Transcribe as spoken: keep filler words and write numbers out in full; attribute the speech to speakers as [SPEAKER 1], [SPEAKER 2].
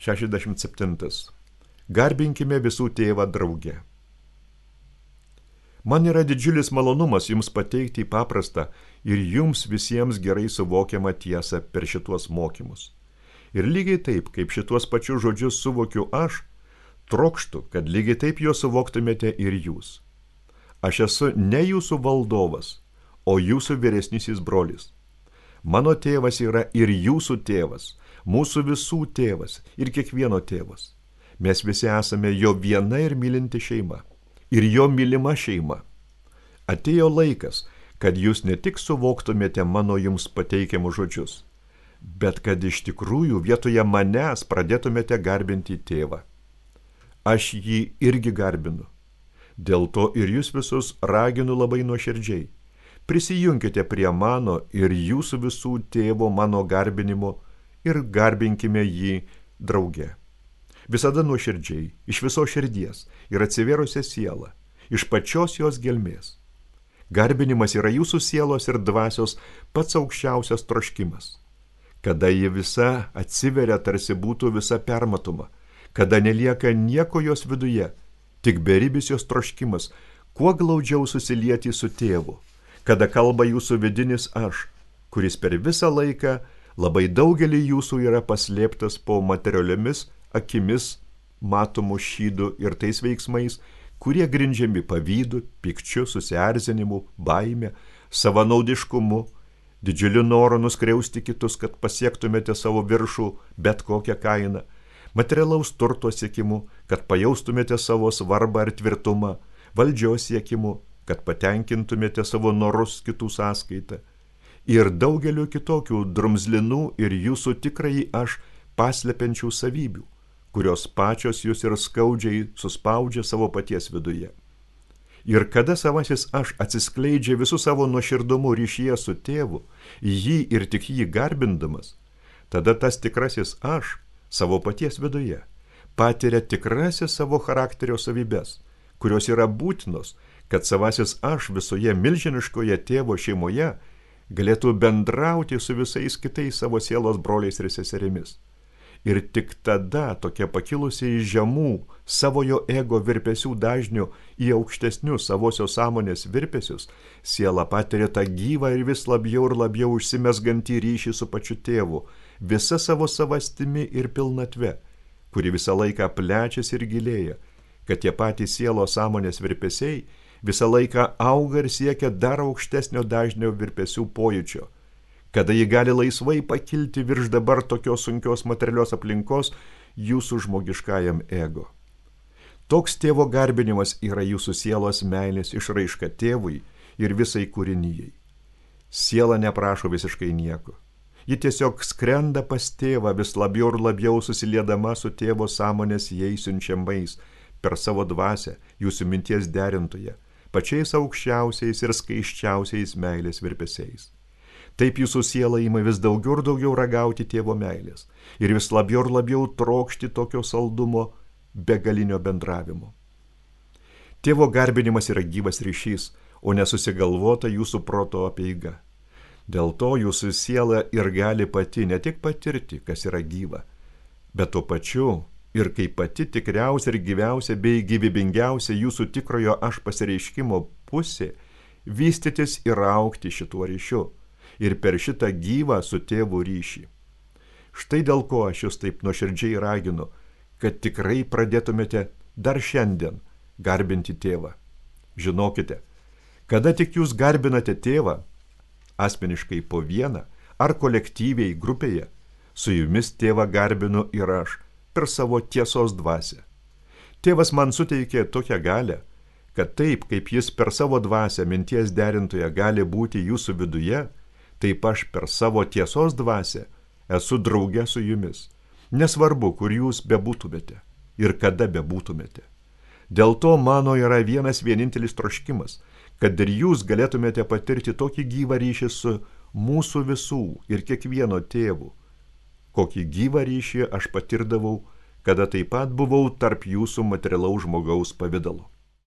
[SPEAKER 1] šešiasdešimt septintas. Garbinkime visų tėvą drauge. Man yra didžiulis malonumas jums pateikti paprastą ir jums visiems gerai suvokiamą tiesą per šituos mokymus. Ir lygiai taip, kaip šituos pačius žodžius suvokiu aš, trokštu, kad lygiai taip juos suvoktumėte ir jūs. Aš esu ne jūsų valdovas, o jūsų vyresnysis brolis. Mano tėvas yra ir jūsų tėvas, mūsų visų tėvas ir kiekvieno tėvas. Mes visi esame jo viena ir mylinti šeima. Ir jo mylima šeima. Atėjo laikas, kad jūs ne tik suvoktumėte mano jums pateikiamus žodžius, bet kad iš tikrųjų vietoje manęs pradėtumėte garbinti tėvą. Aš jį irgi garbinu. Dėl to ir jūs visus raginu labai nuoširdžiai. Prisijunkite prie mano ir jūsų visų tėvo mano garbinimo ir garbinkime jį drauge. Visada nuoširdžiai, iš viso širdies ir atsivėrusią sielą, iš pačios jos gelmės. Garbinimas yra jūsų sielos ir dvasios pats aukščiausias troškimas. Kada ji visa atsiveria, tarsi būtų visa permatoma, kada nelieka nieko jos viduje, tik beribis jos troškimas, kuo glaudžiau susilieti su tėvu, kada kalba jūsų vidinis aš, kuris per visą laiką labai daugelį jūsų yra paslėptas po materialiomis akimis matomų šydų ir tais veiksmais, kurie grindžiami pavydu, pykčiu, susierzinimu, baime, savanaudiškumu, didžiuliu noru nuskriausti kitus, kad pasiektumėte savo viršų bet kokią kainą, materialaus turto siekimu, kad pajaustumėte savo svarbą ir tvirtumą, valdžios siekimu, kad patenkintumėte savo norus kitų sąskaitą ir daugeliu kitokių drumzlinų ir jūsų tikrąjį aš paslepiančių savybių, kurios pačios jūs ir skaudžiai suspaudžia savo paties viduje. Ir kada savasis aš atsiskleidžia visų savo nuoširdumu ryšyje su tėvu, jį ir tik jį garbindamas, tada tas tikrasis aš savo paties viduje patiria tikrasis savo charakterio savybes, kurios yra būtinos, kad savasis aš visoje milžiniškoje tėvo šeimoje galėtų bendrauti su visais kitais savo sielos broliais ir seserimis. Ir tik tada tokia pakilusi iš žemų savojo ego virpesių dažnių į aukštesnius savosios sąmonės virpesius, siela patiria tą gyvą ir vis labiau ir labiau užsimesgantį ryšį su pačiu tėvu, visa savo savastimi ir pilnatve, kuri visą laiką plečiasi ir gilėja, kad tie patys sielos sąmonės virpesiai visą laiką auga ir siekia dar aukštesnio dažnio virpesių pojūčio, kada ji gali laisvai pakilti virš dabar tokios sunkios materialios aplinkos jūsų žmogiškajam ego. Toks tėvo garbinimas yra jūsų sielos meilės išraiška tėvui ir visai kūrinijai. Siela neprašo visiškai nieko. Ji tiesiog skrenda pas tėvą vis labiau ir labiau susiliedama su tėvo sąmonės jai siunčiamais per savo dvasią, jūsų minties derintoje, pačiais aukščiausiais ir skaiščiausiais meilės virpesiais. Taip jūsų siela ima vis daugiau ir daugiau ragauti tėvo meilės ir vis labiau ir labiau trokšti tokio saldumo begalinio bendravimo. Tėvo garbinimas yra gyvas ryšys, o nesusigalvota jūsų proto apeiga. Dėl to jūsų siela ir gali pati ne tik patirti, kas yra gyva, bet tuo pačiu ir kaip pati tikriausia ir gyviausia bei gyvybingiausia jūsų tikrojo aš pasireiškimo pusė, vystytis ir augti šituo ryšiu ir per šitą gyvą su tėvu ryšį. Štai dėl ko aš jūs taip nuoširdžiai raginu, kad tikrai pradėtumėte dar šiandien garbinti tėvą. Žinokite, kada tik jūs garbinate tėvą, asmeniškai po vieną ar kolektyviai grupėje, su jumis tėvą garbinu ir aš per savo tiesos dvasią. Tėvas man suteikė tokią galią, kad taip, kaip jis per savo dvasią minties derintoje gali būti jūsų viduje, taip aš per savo tiesos dvasią esu drauge su jumis, nesvarbu, kur jūs bebūtumėte ir kada bebūtumėte. Dėl to mano yra vienas vienintelis troškimas, kad ir jūs galėtumėte patirti tokį gyvą ryšį su mūsų visų ir kiekvieno tėvu, kokį gyvą ryšį aš patirdavau, kada taip pat buvau tarp jūsų materialaus žmogaus pavidalo.